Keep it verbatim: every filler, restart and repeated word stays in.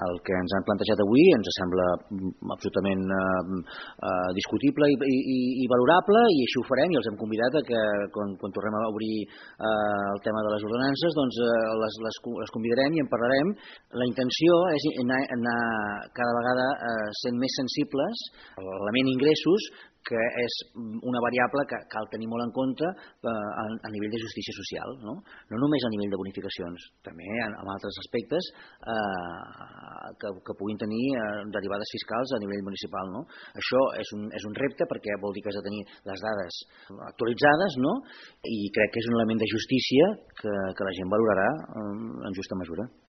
El que ens han plantejat avui ens sembla absolutament eh, eh, discutible i, i, i valorable, i així ho farem, i els hem convidat a que quan, quan tornem a obrir eh, el tema de les ordenances, doncs eh, les, les, les convidarem i en parlarem. La intenció és anar, anar cada vegada eh, sent més sensibles a l'element ingressos, que és una variable que cal tenir molt en compte eh, a, a nivell de justícia social, no? No només a nivell de bonificacions, també en, en altres aspectes eh, que, que puguin tenir eh, derivades fiscals a nivell municipal, no? Això és un, és un repte, perquè vol dir que has de tenir les dades actualitzades, no? I crec que és un element de justícia que, que la gent valorarà eh, en justa mesura.